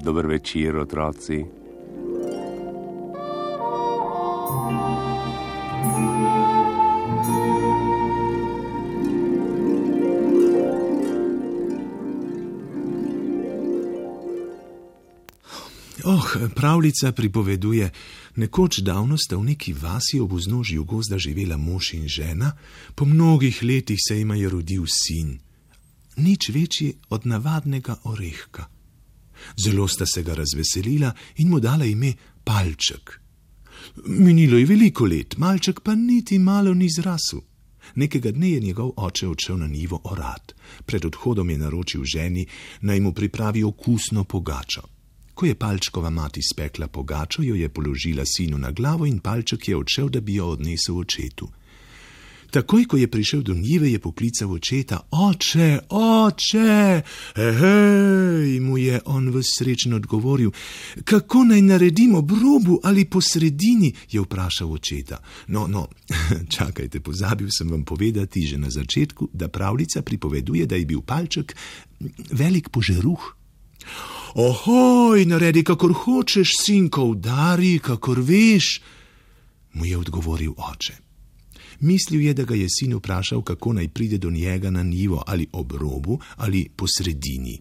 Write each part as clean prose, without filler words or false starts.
Dober večer, otroci. Pravljica pripoveduje, nekoč davno sta v neki vasi ob vznožju gozda živela mož in žena, po mnogih letih se jima je rodil sin, nič večji od navadnega orehka. Zelo sta se ga razveselila in mu dala ime Palček. Minilo je veliko let, malček pa niti malo ni zrasel. Nekega dne je njegov oče odšel na njivo orat. Pred odhodom je naročil ženi, naj mu pripravi okusno pogačo. Ko je Palčkova mati spekla pogačo, jo je položila sinu na glavo in Palček je odšel, da bi jo odnesel očetu. Takoj, ko je prišel do njive, je poklical očeta. Oče, oče! Hej, mu je on ves srečen odgovoril. Kako naj naredim ob robu ali po sredini, je vprašal očeta. No, čakajte, pozabil sem vam povedati že na začetku, da pravljica pripoveduje, da je bil Palček velik požeruh. Ohoj, naredi, kakor hočeš, sinko, udari, kakor veš, mu je odgovoril oče. Mislil je, da ga je sin vprašal, kako naj pride do njega na njivo, ali ob robu, ali po sredini.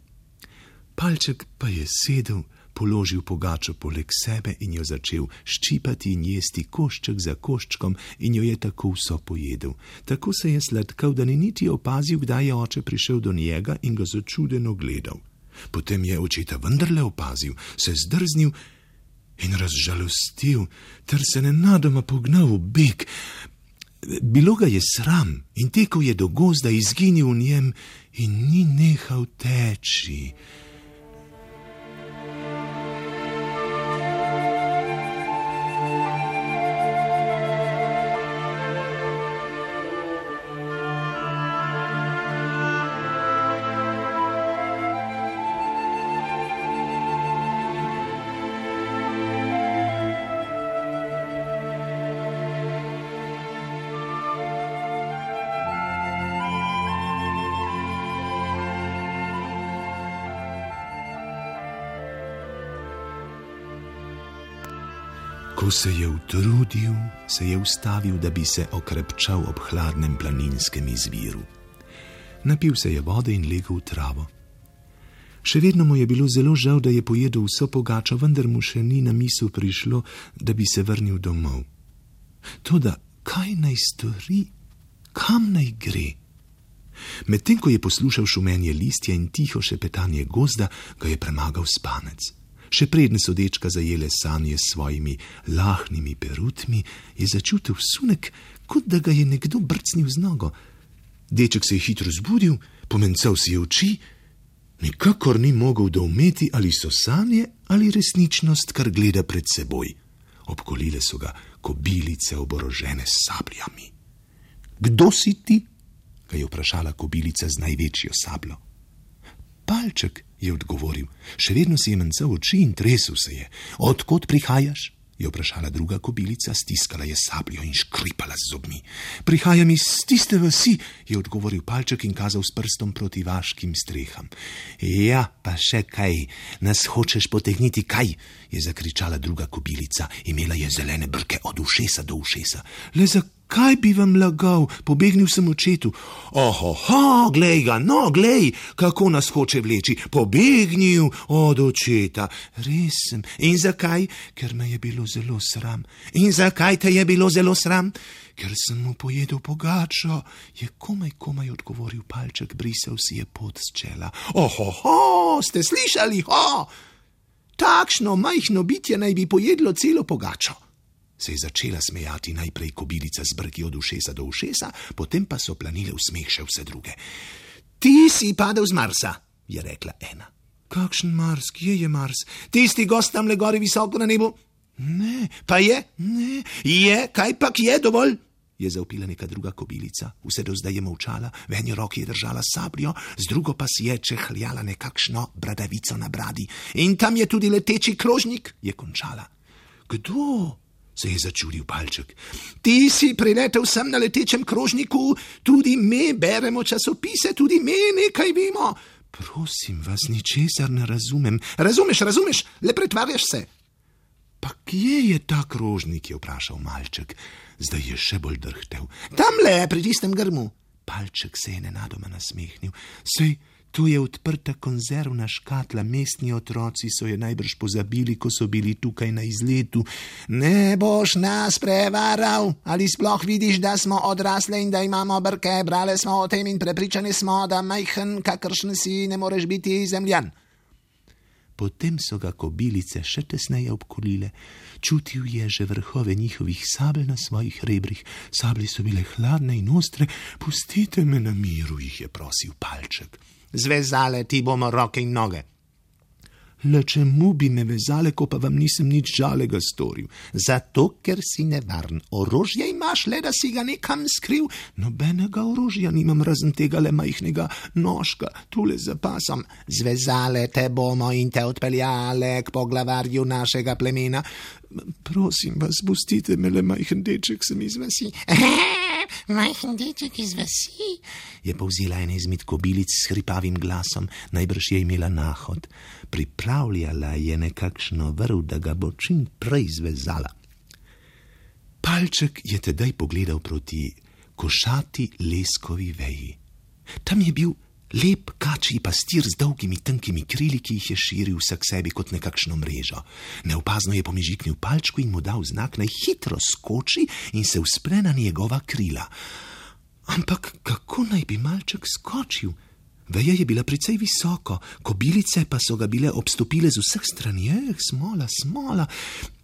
Palček pa je sedel, položil pogačo poleg sebe in jo začel ščipati in jesti košček za koščkom in jo je tako vso pojedel. Tako se je sladkal, da ni niti opazil, kdaj je oče prišel do njega in ga začudeno gledal. Potem je očeta vendarle opazil, se zdrznil in razžalostil, ter se nenadoma pognal v beg. Bilo ga je sram in tekel je do gozda, izginil v njem in ni nehal teči. Ko se je utrudil, se je ustavil, da bi se okrepčal ob hladnem planinskem izviru. Napil se je vode in legel v travo. Še vedno mu je bilo zelo žal, da je pojedel vso pogačo, vendar mu še ni na misel prišlo, da bi se vrnil domov. Toda kaj naj stori? Kam naj gre? Medtem ko je poslušal šumenje listja in tiho šepetanje gozda, ga je premagal spanec. Še preden so dečka zajele sanje s svojimi lahnimi perutmi, je začutil sunek, kot da ga je nekdo brcnil z nogo. Deček se je hitro zbudil, pomencal si oči, nikakor ni mogel doumeti, ali so sanje ali resničnost, kar gleda pred seboj. Obkolile so ga kobilice oborožene s sabljami. Kdo si ti? Ga je vprašala kobilica z največjo sabljo. Palček, je odgovoril, še vedno si je mencal oči in tresel se je. Odkot prihajaš? Je vprašala druga kobilica, stiskala je sabljo in škripala z zobmi. Prihajam iz tiste vasi, je odgovoril Palček in kazal s prstom proti vaškim streham. Ja, pa še kaj, nas hočeš potegniti kaj? Je zakričala druga kobilica, imela je zelene brke od ušesa do ušesa. Le zakaj bi vam lagal, pobegnil sem očetu. Ohoho, glej ga, no, glej, kako nas hoče vleči, pobegnil od očeta. Res sem, in zakaj? Ker me je bilo zelo sram. In zakaj te je bilo zelo sram? Ker sem mu pojedel pogačo, je komaj odgovoril Palček, brisal si je pot s čela. Ohoho, ste slišali, ho? Takšno majhno bitje naj bi pojedlo celo pogačo. Se je začela smejati najprej kobilica z brki od ušesa do ušesa, potem pa so planile v smeh še vse druge. Ti si padel z Marsa, je rekla ena. Kakšen Mars, kje je Mars? Tisti gost tamle gori visoko na nebu? Ne, pa je? Ne, je, kaj pa je dovolj? Je zavpila neka druga kobilica, vse do zdaj je molčala, v eni roki je držala sabljo, z drugo pa si je čehljala nekakšno bradavico na bradi. In tam je tudi leteči krožnik, je končala. Kdo? Se je začudil Palček. Ti si priletel sem na letečem krožniku, tudi me beremo časopise, tudi me nekaj vemo. Prosim vas, ničesar ne razumem. Razumeš, le pretvarjaš se. Pa kje je ta krožnik, je vprašal malček. Zdaj je še bolj drhtel. Tamle, pri tistem grmu. Palček se je nenadoma nasmehnil. Sej, tu je odprta konzervna škatla, mestni otroci so je najbrž pozabili, ko so bili tukaj na izletu. Ne boš nas prevaral, ali sploh vidiš, da smo odrasle in da imamo brke, brale smo o tem in prepričani smo, da majhen, kakršen si, ne moreš biti zemljan. Potem so ga kobilice še tesneje obkolile. Čutil je že vrhove njihovih sabel na svojih rebrih. Sablje so bile hladne in ostre. Pustite me na miru, jih je prosil Palček. Zvezale ti bomo roke in noge. Le čemu bi me vezale, ko pa vam nisem nič žalega storil? Zato, ker si nevaren. Orožje imaš, le da si ga nekam skril. Nobenega orožja nimam, razen tega le majhnega nožka, tule za pasom. Zvezale te bomo in te odpeljale k poglavarju našega plemena. Prosim vas, pustite me, le majhen deček sem iz vasi. Majhen deček iz vasi, je povzela ena izmed kobilic s hripavim glasom, najbrž je imela nahod. Pripravljala je nekakšno vrv, da ga bo čim prej zvezala. Palček je tedaj pogledal proti košati leskovi veji. Tam je bil lep kačji pastir z dolgimi tankimi krili, ki jih je širil vsak sebi kot nekakšno mrežo. Neopazno je pomežiknil Palčku in mu dal znak, naj hitro skoči in se vzpre na njegova krila. Ampak kako naj bi malček skočil? Veja je bila precej visoko, kobilice pa so ga bile obstopile z vseh strani. Smola.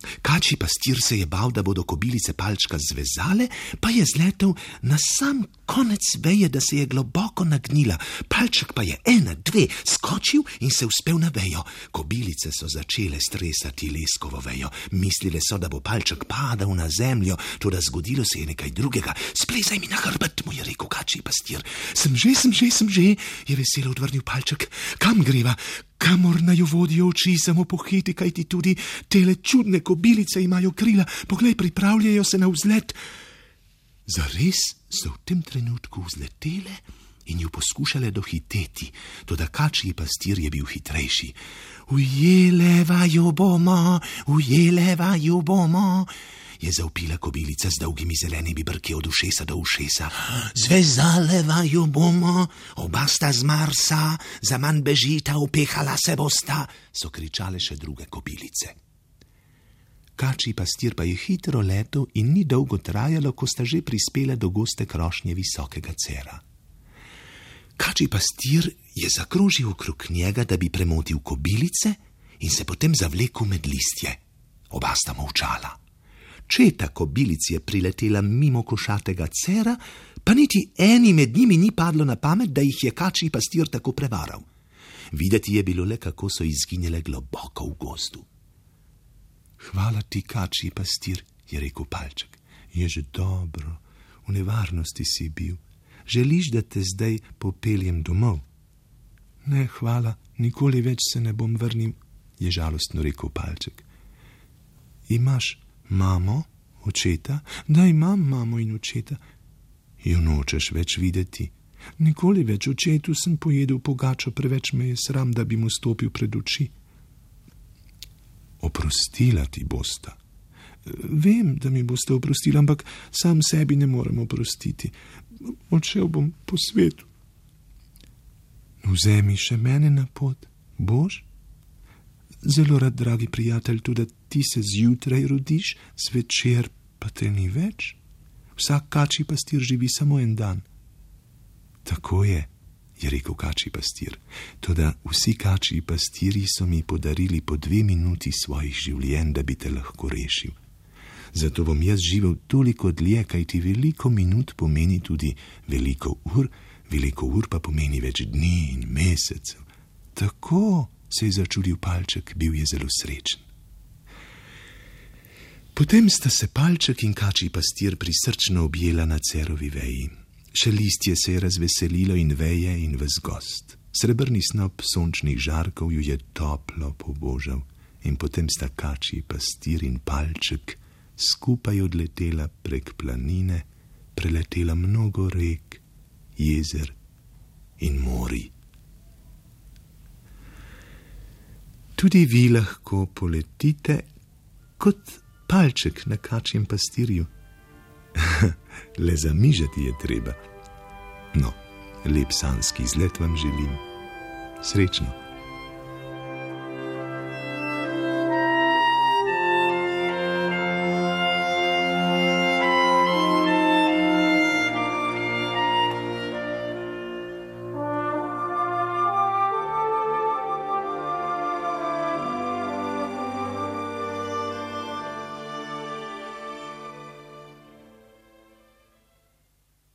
Kačji pastir se je bal, da bodo kobilice Palčka zvezale, pa je zletel na sam konec veje, da se je globoko nagnila. Palček pa je 1, 2 skočil in se uspel na vejo. Kobilice so začele stresati leskovo vejo. Mislile so, da bo Palček padal na zemljo, toda zgodilo se je nekaj drugega. Splezaj mi na hrbet, mu je rekel kačji pastir. Sem že, je veselo odvrnil Palček. Kam greva? Kamor naju vodijo oči, samo pohiti, kajti tudi tele čudne kobilice imajo krila. Poglej, pripravljajo se na vzlet. Zares so v tem trenutku vzletele in ju poskušale dohiteti, toda kačji pastir je bil hitrejši. Ujele vaju bomo, je zavpila kobilica z dolgimi zelenimi brki od ušesa do ušesa. Zvezale vaju bomo, oba sta z Marsa, zaman bežita, upehala se bosta, so kričale še druge kobilice. Kačji pastir pa je hitro letel in ni dolgo trajalo, ko sta že prispela do goste krošnje visokega cera. Kačji pastir je zakrožil okrog njega, da bi premotil kobilice in se potem zavlekel med listje. Oba sta molčala. Četa kobilic je priletela mimo košatega cera, pa niti eni med njimi ni padlo na pamet, da jih je kačji pastir tako prevaral. Videti je bilo le, kako so izginile globoko v gozdu. Hvala ti, kačji pastir, je rekel Palček. Je že dobro, v nevarnosti si bil. Želiš, da te zdaj popeljem domov? Ne, hvala, nikoli več se ne bom vrnil, je žalostno rekel Palček. Imaš mamo, očeta? Da, imam mamo in očeta. Jo nočeš več videti? Nikoli več, očetu sem pojedel pogačo, preveč me je sram, da bi mu stopil pred oči. Oprostila ti bosta. Vem, da mi boste oprostili, ampak sam sebi ne morem oprostiti. Odšel bom po svetu. Vzemi še mene na pot, boš? Zelo rad, dragi prijatelj, tudi ti se zjutraj rodiš, zvečer pa te ni več. Vsak kačji pastir živi samo en dan. Tako je rekel kačji pastir. Toda vsi kačji pastirji so mi podarili po 2 minuti svojih življenj, da bi te lahko rešil. Zato bom jaz živel toliko dlje, kajti veliko minut pomeni tudi veliko ur pa pomeni več dni in mesecev. Tako, se je začudil Palček, bil je zelo srečen. Potem sta se Palček in kačji pastir prisrčno objela na cerovi veji. Še listje se je razveselilo in veje in ves gozd. Srebrni snop sončnih žarkov ju je toplo pobožal in potem sta kačji pastir in Palček skupaj odletela prek planine, preletela mnogo rek, jezer in morij. Tudi vi lahko poletite kot Palček na kačjem pastirju. Le zamižati je treba. No, lep sanjski izlet vam želim. Srečno.